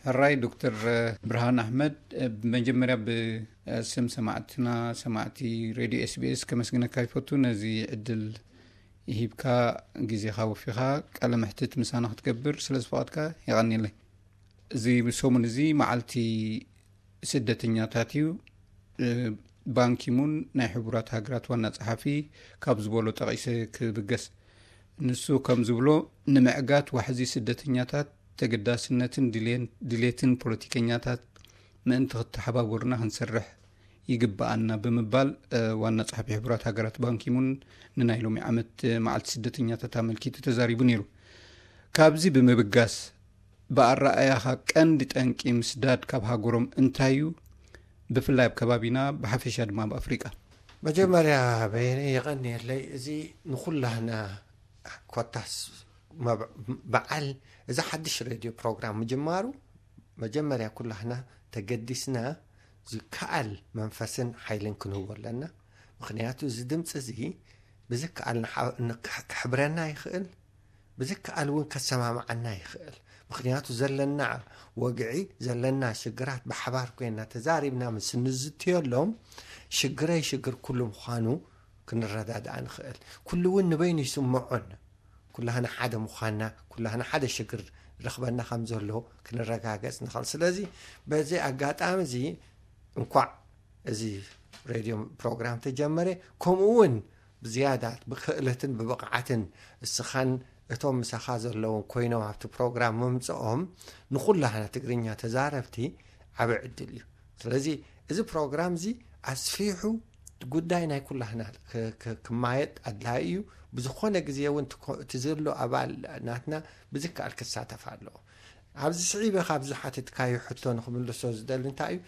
ሕራይ ዶክተር ብርሃን ኣሕመድ፣ ብመጀመርያ ብስም ሰማዕትና ሰማዕቲ ሬድዮ ኤስቢኤስ ከመስግነካ ይፈቱ፣ ነዚ ዕድል ሂብካ ግዜኻ ወፊኻ ቃለ መሕትት ምሳና ክትገብር ስለ ዝፈቐድካ የቐንየለይ። እዚ ሰሙን እዚ መዓልቲ ስደተኛታት እዩ። ባንኪሙን ናይ ሕቡራት ሃገራት ዋና ጸሓፊ ካብ ዝበሎ ጠቒሰ ክብገስ። ንሱ ከም ዝብሎ፣ ንምዕጋት ዋሕዚ ስደተኛታት ተገዳስነትን ድሌን- ድሌትን ፖለቲከኛታት ምእንቲ ክተሓባበሩና ክንሰርሕ ይግብኣና ብምባል ዋና ጸሓፊ ሕቡራት ሃገራት ባንኪሙን ንናይ ሎሚ ዓመት መዓልቲ ስደተኛታት ኣመልኪቱ ተዛሪቡ ነይሩ። ካብዚ ብምብጋስ፣ ብኣረኣያኻ ቀንዲ ጠንቂ ምስዳድ ካብ ሃገሮም እንታይ እዩ? ብፍላይ ኣብ ከባቢና፣ ብሓፈሻ ድማ ኣብ ኣፍሪቃ። መጀመርያ በየነ የቐንየለይ። እዚ ንኹላህና ኮታስ መብ- በዓል እዚ ሓድሽ ሬድዮ ፕሮግራም ምጅማሩ፣ መጀመርያ ኩላህና ተገዲስና ዝከኣል መንፈስን ሓይልን ክንህቦ ኣለና። ምኽንያቱ እዚ ድምፂ እዚ ብዝከኣል ንሓ- ንክ- ክሕብረና ይኽእል፣ ብዝከኣል እውን ከሰማምዓና ይኽእል። ምኽንያቱ ዘለና ወግዒ፣ ዘለና ሽግራት ብሓባር ኮይና ተዛሪብና ምስ እንዝትየሎም፣ ሽግረይ ሽግር ኩሉ ምዃኑ ክንረዳድኣ ንኽእል። ኩሉ እውን ንበይኑ ይስምዖን። ኩላህና ሓደ ምዃንና፣ ኩላህና ሓደ ሽግር ረኽበና ከም ዘሎ ክንረጋገጽ ንኽእል። ስለዚ በዚ ኣጋጣሚ እዚ እንኳዕ እዚ ሬድዮ ፕሮግራም ተጀመረ፣ ከምኡ እውን ብዝያዳ ብክእለትን ብብቕዓትን እስኻን እቶም ምሳኻ ዘለውን ኮይኖም ኣብቲ ፕሮግራም ምምፅኦም ንኹላህና ትግርኛ ተዛረብቲ ዓቢ ዕድል እዩ። ስለዚ እዚ ፕሮግራም እዚ ኣስፊሑ ጉዳይ ናይ ኩላህና ክ- ክ- ክማየጥ ኣድላይ እዩ። ብዝኾነ ግዜ እውን እቲ ኮ- እቲ ዘሎ ኣባል ናትና ብዝከኣል ክሳተፍ ኣለዎ። ኣብዚ ስዒበ ካብ ዝሓተትካዮ ሕቶ ንክምልሶ ዝደሊ እንታይ እዩ፣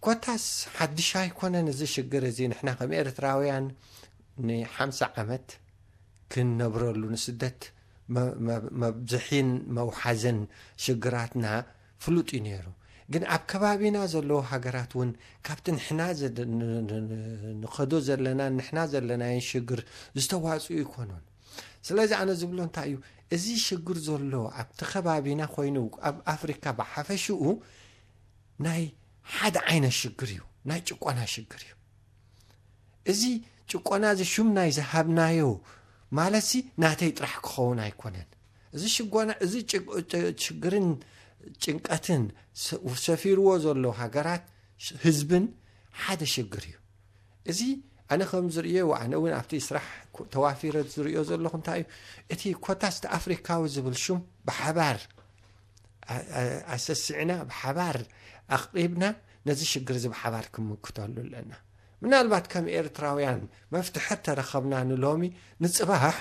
ኮታስ ሓድሽ ኣይኮነን እዚ ሽግር እዚ። ንሕና ከም ኤርትራውያን ንሓምሳ ዓመት ክንነብረሉ፣ ንስደት መ- መ- መብዝሒን መውሓዝን ሽግራትና ፍሉጥ እዩ ነይሩ። ግን ኣብ ከባቢና ዘለዉ ሃገራት እውን ካብቲ ንሕና ዘደ- ን- ን- ን- ንኸዶ ዘለና ንሕና ዘለናዮን ሽግር ዝተዋፅኡ ኣይኮኑን። ስለዚ ኣነ ዝብሎ እንታይ እዩ፣ እዚ ሽግር ዘሎ ኣብቲ ከባቢና ኮይኑ ኣብ ኣፍሪካ ብሓፈሽኡ ናይ ሓደ ዓይነት ሽግር እዩ፣ ናይ ጭቆና ሽግር እዩ። እዚ ጭቆና እዚ ሹም ናይ ዝሃብናዮ ማለትሲ ናተይ ጥራሕ ክኸውን ኣይኮነን። እዚ ሽጎና እዚ ጭ- ጭ- ሽግርን ጭንቀትን ሰ- ሰፊርዎ ዘሎ ሃገራት ሽ- ህዝብን ሓደ ሽግር እዩ። እዚ ኣነ ከም ዝርእዮ፣ ኣነ እውን ኣብቲ ስራሕ ኮ- ተዋፊረ ዝርእዮ ዘለኹ እንታይ እዩ፣ እቲ ኮታስ ኣፍሪካዊ ዝብል ሹም ብሓባር ኣ- ኣ- ኣሰሲዕና ብሓባር ኣቕሪብና ነዚ ሽግር እዚ ብሓባር ክምክተሉ ኣለና። ምናልባት ከም ኤርትራውያን መፍትሐ ተረኸብና ንሎሚ ንጽባሕ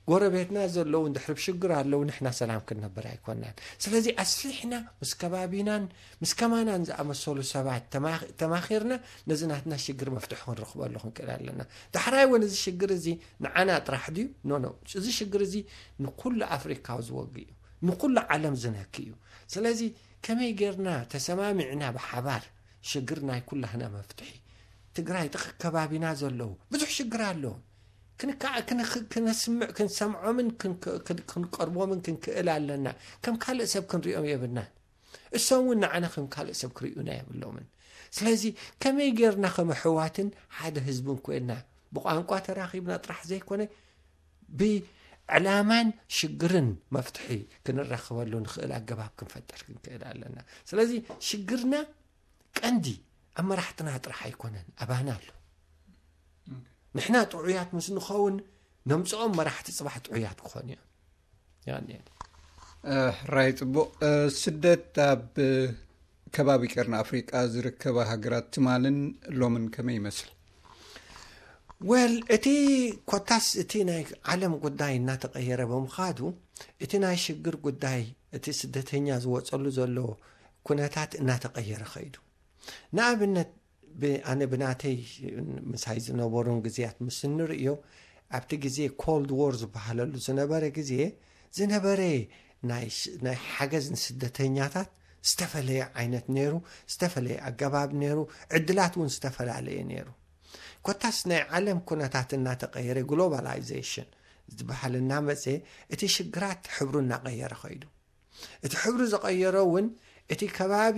ጎረቤትና ዘለዉ እንድሕር ብሽግር ኣለዉ ንሕና ሰላም ክንነብር ኣይኮናን። ስለዚ ኣስፊሕና ምስ ከባቢናን ምስ ከማናን ዝኣመሰሉ ሰባት ተማኺ- ተማኺርና ነዚ ናትና ሽግር መፍትሒ ክንረኽበሉ ክንክእል ኣለና። ዳሕራይ እውን እዚ ሽግር እዚ ንዓና ጥራሕ ድዩ? ኖ ኖ፣ እዚ ሽግር እዚ ንኩሉ ኣፍሪካዊ ዝወግ እዩ፣ ንኩሉ ዓለም ዝነክ እዩ። ስለዚ ከመይ ጌርና ተሰማሚዕና ብሓባር ሽግር ናይ ኩላህና መፍትሒ ትግራይ ጥቕ ከባቢና ዘለዉ ብዙሕ ሽግር ኣለዎም። ክንከዓ- ክንኽ- ክነስምዕ ክንሰምዖምን ክንክ- ክን- ክንቀርቦምን ክንክእል ኣለና። ከም ካልእ ሰብ ክንሪኦም የብልናን። እሶም እውን ንዓና ከም ካልእ ሰብ ክርእዩና የብሎምን። ስለዚ ከመይ ጌርና ከም ኣሕዋትን ሓደ ህዝብን ኮይንና ብቋንቋ ተራኺብና ጥራሕ ዘይኮነ ብዕላማን ሽግርን መፍትሒ ክንረኽበሉ ንኽእል ኣገባብ ክንፈጥር ክንክእል ኣለና። ስለዚ ሽግርና ቀንዲ ኣብ መራሕትና ጥራሕ ኣይኮነን፣ ኣባና ኣሎ። ንሕና ጥዑያት ምስ ንኸውን ነምፅኦም መራሕቲ ፅባሕ ጥዑያት ክኾኑ እዮም። ያኔ ሕራይ ጽቡቕ። ስደት ኣብ ከባቢ ቀርኒ ኣፍሪቃ ዝርከባ ሃገራት ትማልን ሎምን ከመይ ይመስል? ወል እቲ ኮታስ እቲ ናይ ዓለም ጉዳይ እናተቐየረ ብምኻዱ እቲ ናይ ሽግር ጉዳይ እቲ ስደተኛ ዝወፀሉ ዘሎ ኩነታት እናተቀየረ ኸይዱ። ንኣብነት ኣነ ብናተይ ምሳይ ዝነበሩን ግዜያት ምስ እንርእዮ ኣብቲ ግዜ ኮልድ ዎር ዝበሃለሉ ዝነበረ ግዜ ዝነበረ ናይ ሓገዝ ንስደተኛታት ዝተፈለየ ዓይነት ነይሩ፣ ዝተፈለየ ኣገባብ ነይሩ፣ ዕድላት እውን ዝተፈላለየ ነይሩ። ኮታስ ናይ ዓለም ኩነታት እናተቐየረ ግሎባላይዜሽን ዝበሃል እናመፀ እቲ ሽግራት ሕብሩ እናቐየረ ኸይዱ። እቲ ሕብሪ ዝቐየሮ እውን እቲ ከባቢ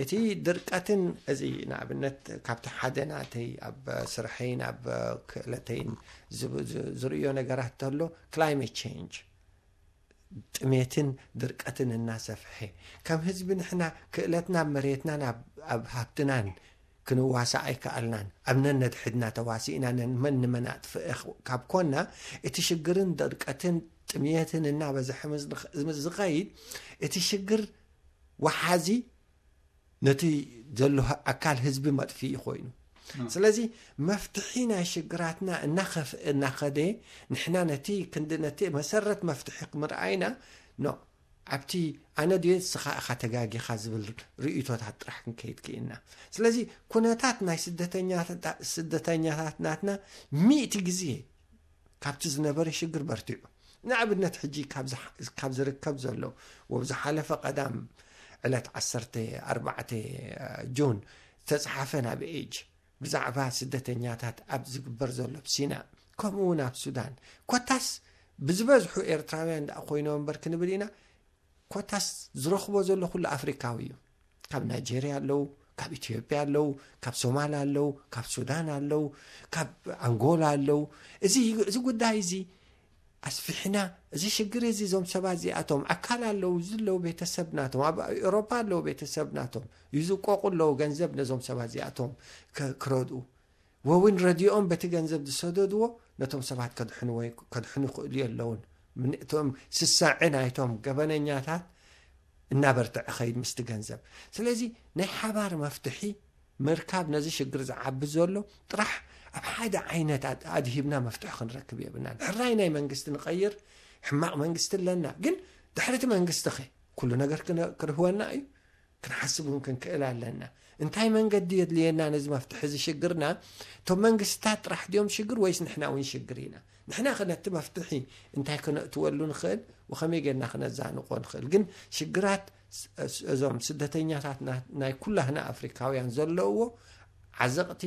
እቲ ድርቀትን እዚ ንኣብነት ካብቲ ሓደ ናተይ ኣብ ስርሐይን ኣብ ክእለተይን ዝብ- ዝ- ዝርእዮ ነገራት ተሎ climate change ጥሜትን ድርቀትን እናሰፍሐ ከም ህዝቢ ንሕና ክእለትና መሬትናን ኣብ- ኣብ ሃብትናን ክንዋሳእ ኣይከኣልናን። ኣብ ነነድሕድና ተዋሲእና ነን መን ንመን ኣጥፍእ ካብ ኮና እቲ ሽግርን ድርቀትን ጥሜትን እናበዝሐ ምስ ዝኸይድ እቲ ሽግር ወሓዚ ነቲ ዘሎ ኣካል ህዝቢ መጥፍኢ ኮይኑ። ስለዚ መፍትሒ ናይ ሽግራትና እናኸፍአ እናኸደ ንሕና ነቲ ክንዲ ነቲ መሰረት መፍትሒ ክምርኣይና ኖ ኣብቲ ኣነ ድየ ንስኻ ኢኻ ተጋጊኻ ዝብል ርእይቶታት ጥራሕ ክንከይድ ክኢልና። ስለዚ ኩነታት ናይ ስደተኛታ- ስደተኛታት ናትና ሚእቲ ግዜ ካብቲ ዝነበረ ሽግር በርቲዑ። ንኣብነት ሕጂ ካብ ዝሓ- ካብ ዝርከብ ዘሎ ወብ ዝሓለፈ ቀዳም ዕለት ዓሰርተ ኣርባዕተ ጁን ዝተፅሓፈ ናብ ኤጅ ብዛዕባ ስደተኛታት ኣብ ዝግበር ዘሎ ኣብ ሲና ከምኡ እውን ኣብ ሱዳን ኮታስ ብዝበዝሑ ኤርትራውያን ደኣ ኮይኖም እምበር ክንብል ኢና። ኮታስ ዝረኽቦ ዘሎ ኩሉ ኣፍሪካዊ እዩ። ካብ ናይጄርያ ኣለዉ፣ ካብ ኢትዮጵያ ኣለዉ፣ ካብ ሶማል ኣለዉ፣ ካብ ሱዳን ኣለዉ፣ ካብ ኣንጎላ ኣለዉ። እዚ እዚ ጉዳይ እዚ ኣስፊሕና እዚ ሽግር እዚ እዞም ሰባት እዚኣቶም ኣካል ኣለዉ፣ እዚ ኣለዉ ቤተሰብ ናቶም ኣብ ኤውሮፓ ኣለዉ ቤተሰብ ናቶም ይዝቆቁ ኣለዉ ገንዘብ ነዞም ሰባት እዚኣቶም ከ- ክረድኡ ወውን ረድኦም በቲ ገንዘብ ዝሰደድዎ ነቶም ሰባት ከድሕንዎ ከድሕኑ ይኽእሉ የለውን። እቶም ስሳዐ ናይቶም ገበነኛታት እናበርትዐ ኸይድ ምስቲ ገንዘብ። ስለዚ ናይ ሓባር መፍትሒ ምርካብ ነዚ ሽግር ዝዓቢ ዘሎ ጥራሕ ኣብ ሓደ ዓይነት ኣድ- ኣድሂብና መፍትሒ ክንረክብ የብልናን። ሕራይ ናይ መንግስቲ ንቐይር ሕማቕ መንግስቲ ኣለና፣ ግን ድሕርቲ መንግስቲ ኸ ኩሉ ነገር ክነ- ክርህወና እዩ? ክንሓስብ እውን ክንክእል ኣለና። እንታይ መንገዲ የድልየና ነዚ መፍትሒ እዚ ሽግርና? እቶም መንግስታት ጥራሕ ድዮም ሽግር ወይስ ንሕና እውን ሽግር ኢና? ንሕና ኸ ነቲ መፍትሒ እንታይ ክነእትወሉ ንኽእል ወኸመይ ጌርና ክነዛንቆ ንኽእል? ግን ሽግራት ስ- እዞም ስደተኛታት ና- ናይ ኩላህና ኣፍሪካውያን ዘለውዎ ዓዘቕቲ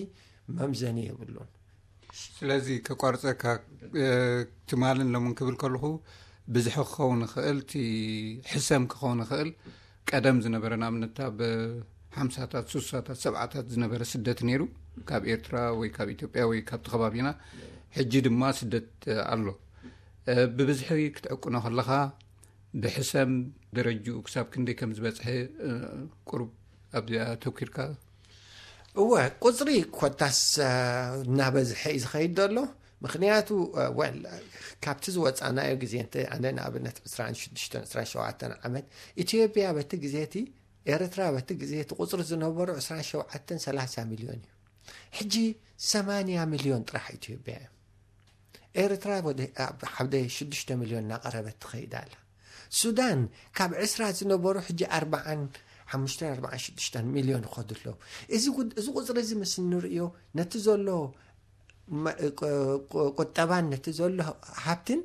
መምዘኒ የብሉን። ስለዚ ከቋርፀካ ትማልን ሎምን ክብል ከለኹ ብዝሒ ክኸውን ይኽእል፣ እቲ ሕሰም ክኸውን ይኽእል። ቀደም ዝነበረ ንኣብነት ኣብ ሓምሳታት ሱሳታት ሰብዓታት ዝነበረ ስደት ነይሩ፣ ካብ ኤርትራ ወይ ካብ ኢትዮጵያ ወይ ካብቲ ከባቢና። ሕጂ ድማ ስደት ኣሎ። ብብዝሒ ክትዕቅኖ ከለኻ ብሕሰም ደረጅኡ ክሳብ ክንደይ ከም ዝበፅሐ ቁሩብ ኣብዚኣ ተኪርካ? እወ፣ ቁፅሪ ኮታስ እናበዝሐ እዩ ዝኸይድ ዘሎ። ምክንያቱ ወል ካብቲ ዝወፃናዮ ግዜ እንተ ኣነ ንኣብነት ዕስራን ሽዱሽተን ዕስራን ሸውዓተን ዓመት ኢትዮጵያ በቲ ግዜ እቲ ኤርትራ በቲ ግዜ እቲ ቁፅሪ ዝነበሩ ዕስራን ሸውዓተን ሰላሳ ሚልዮን እዩ። ሕጂ ሰማንያ ሚልዮን ጥራሕ ኢትዮጵያ እዩ። ኤርትራ ወደ- ኣብ ሓደ ሽዱሽተ ሚልዮን እናቐረበት ትኸይድ ኣላ። ሱዳን ካብ ዕስራ ዝነበሩ ሕጂ ኣርባዓን ሓሙሽተን ኣርባዓን ሽዱሽተን ሚልዮን ይኸዱ ኣለዉ። እዚ ጉድ- እዚ ቁፅሪ እዚ ምስ እንርእዮ ነቲ ዘሎ መ- ቁ- ቁ- ቁጠባን ነቲ ዘሎ ሃብትን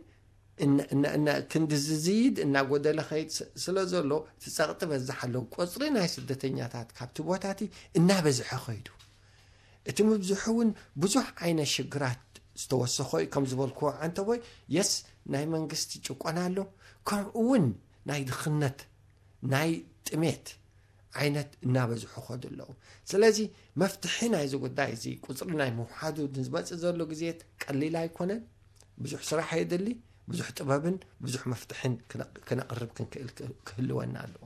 እነ- እነ- እነ- ክንዲ ዝዝይድ እናጎደለ ኸይድ ስ- ስለ ዘሎ እቲ ፀቕጢ በዛሕ ኣለዉ። ቁፅሪ ናይ ስደተኛታት ካብቲ ቦታ እቲ እናበዝሐ ኸይዱ እቲ ምብዝሑ እውን ብዙሕ ዓይነት ሽግራት ዝተወሰኾ እዩ። ከም ዝበልክዎ ዓንተቦይ የስ ናይ መንግስቲ ጭቆና ኣሎ፣ ከምኡ እውን ናይ ድኽነት ናይ ጥሜት ዓይነት እናበዝሑ ኸዱ ኣለዉ። ስለዚ መፍትሒ ናይዚ ጉዳይ እዚ ቁፅሪ ናይ ምውሓዱ ንዝመፅእ ዘሎ ግዜት ቀሊል ኣይኮነን። ብዙሕ ስራሕ የድሊ፣ ብዙሕ ጥበብን ብዙሕ መፍትሕን ክነ- ክነቕርብ ክንክእል ክህልወና ኣለዎ።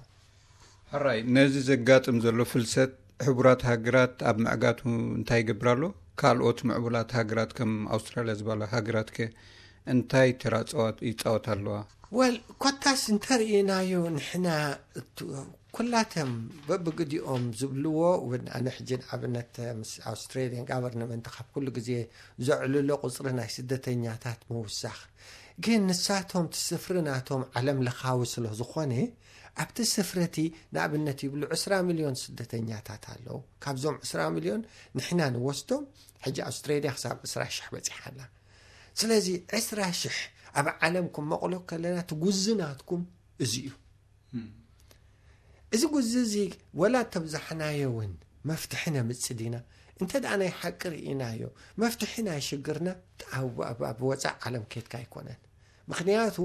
ሕራይ ነዚ ዘጋጥም ዘሎ ፍልሰት ሕቡራት ሃገራት ኣብ ምዕጋቱ እንታይ ይገብር ኣሎ? ካልኦት ምዕቡላት ሃገራት ከም ኣውስትራልያ ዝበላ ሃገራት ከ እንታይ ተራ ጸዋት- ይጻወት ኣለዋ? ወል ኮታስ እንተርእናዮ ንሕና እቱ- ኩላቶም በብግዲኦም ዝብልዎ እውን ኣነ ሕጂ ንኣብነት ምስ ኣውስትሬሊያን ጋቨርንመንት ካብ ኩሉ ግዜ ዘዕልሎ ቁፅሪ ናይ ስደተኛታት ምውሳኽ ግን ንሳቶም እቲ ስፍሪ ናቶም ዓለም ለኻዊ ስለ ዝኾነ ኣብቲ ስፍሪ እቲ ንኣብነት ይብሉ ዕስራ ሚልዮን ስደተኛታት ኣለዉ። ካብዞም ዕስራ ሚልዮን ንሕና ንወስዶም ሕጂ ኣውስትሬልያ ክሳብ ዕስራ ሽሕ በፂሓ ኣላ። ስለዚ ዕስራ ሽሕ ኣብ ዓለም ክመቕሎ ከለና እቲ ጉዚ ናትኩም እዚ እዩ። እዚ ጉዚ እዚ ወላ ተብዛሕናዮ እውን መፍትሒ ነምፅእ ዲና? እንተ ደኣ ናይ ሓቂ ርኢናዮ መፍትሒ ናይ ሽግርና ኣብ- ኣብ- ኣብ ወፃእ ዓለም ኬድካ ኣይኮነን። ምክንያቱ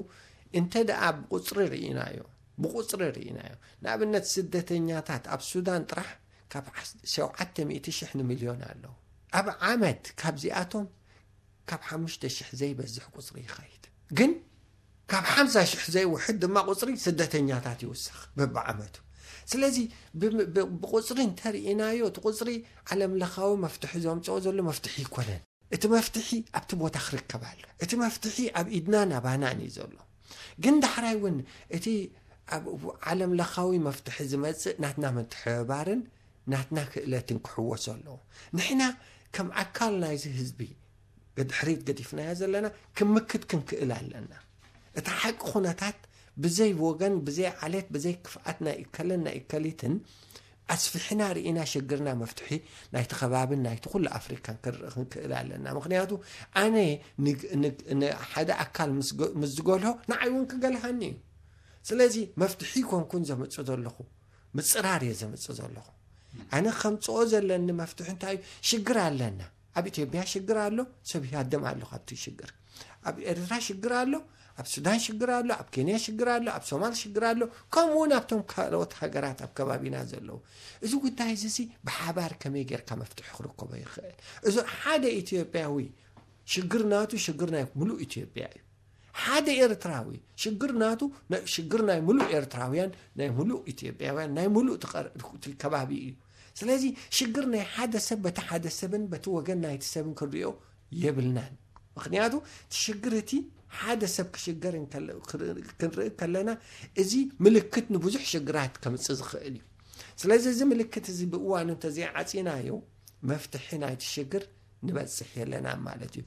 እንተ ደኣ ብቁፅሪ ርኢናዮ ብቁፅሪ ርኢናዮ። ንኣብነት ስደተኛታት ኣብ ሱዳን ጥራሕ ካብ ሸውዓተ ሚእቲ ሽሕ ንሚልዮን ኣለዉ። ኣብ ዓመት ካብዚኣቶም ካብ ሓሙሽተ ሽሕ ዘይበዝሕ ቁፅሪ ይኸይድ። ግን ካብ ሓምሳ ሽሕ ዘይውሕድ ድማ ቁፅሪ ስደተኛታት ይውስኽ በብዓመቱ። ስለዚ ብቁፅሪ እንተርኢናዮ እቲ ቁፅሪ ዓለም ለኻዊ መፍትሒ ዘምፅኦ ዘሎ መፍትሒ ይኮነን። እቲ መፍትሒ ኣብቲ ቦታ ክርከብ ኣሎ። እቲ መፍትሒ ኣብ ኢድናን ኣባናን እዩ ዘሎ። ግን ዳሕራይ እውን እቲ ኣብ ዓለም ለኻዊ መፍትሒ ዝመፅእ ናትና ምትሕብባርን ናትና ክእለትን ክሕወሶ ኣለዎ። ንሕና ከም ኣካል ናይዚ ህዝቢ ድሕሪት ገዲፍናዮ ዘለና ክምክት ክንክእል ኣለና። እቲ ሓቂ ኩነታት ብዘይ ወገን፣ ብዘይ ዓሌት፣ ብዘይ ክፍኣት ናይ እከለን ናይ እከሊትን ኣስፊሕና ርኢና ሽግርና መፍትሒ ናይቲ ከባብን ናይቲ ኩሉ ኣፍሪካን ክንርኢ ክንክእል ኣለና። ምክንያቱ ኣነ ሓደ ኣካል ምስ ዝገልሆ ንዓይ እውን ክገልሃኒ እዩ። ስለዚ መፍትሒ ይኮንኩን ዘምፅእ ዘለኹ፣ ምፅራር እየ ዘምፅእ ዘለኹ። ኣነ ከምፅኦ ዘለኒ መፍትሒ እንታይ እዩ? ሽግር ኣለና። ኣብ ኢትዮጵያ ሽግር ኣሎ፣ ሰብ ይሃደም ኣሎ ካብቲ ሽግር። ኣብ ኤርትራ ሽግር ኣሎ፣ ኣብ ሱዳን ሽግር ኣሎ፣ ኣብ ኬንያ ሽግር ኣሎ፣ ኣብ ሶማል ሽግር ኣሎ፣ ከምኡ እውን ኣብቶም ካልኦት ሃገራት ኣብ ከባቢና ዘለዉ። እዚ ጉዳይ እዚ ብሓባር ከመይ ጌርካ መፍትሒ ክርከቦ ይኽእል? እዚ ሓደ ኢትዮጵያዊ ሽግር ናቱ ሽግር ናይ ሙሉእ ኢትዮጵያ እዩ። ሓደ ኤርትራዊ ሽግር ናቱ ሽግር ናይ ሙሉእ ኤርትራውያን፣ ናይ ሙሉእ ኢትዮጵያውያን፣ ናይ ሙሉእ ከባቢ እዩ። ስለዚ ሽግር ናይ ሓደ ሰብ በቲ ሓደ ሰብን በቲ ወገን ናይቲ ሰብን ክንሪኦ የብልናን። ምክንያቱ እቲ ሽግር እቲ ሓደ ሰብ ክሽገር ክንርኢ ከለና እዚ ምልክት ንብዙሕ ሽግራት ከምፅእ ዝኽእል እዩ። ስለዚ እዚ ምልክት እዚ ብእዋኑ እንተዘይዓፂናዮ መፍትሒ ናይቲ ሽግር ንበፅሕ የለና ማለት እዩ።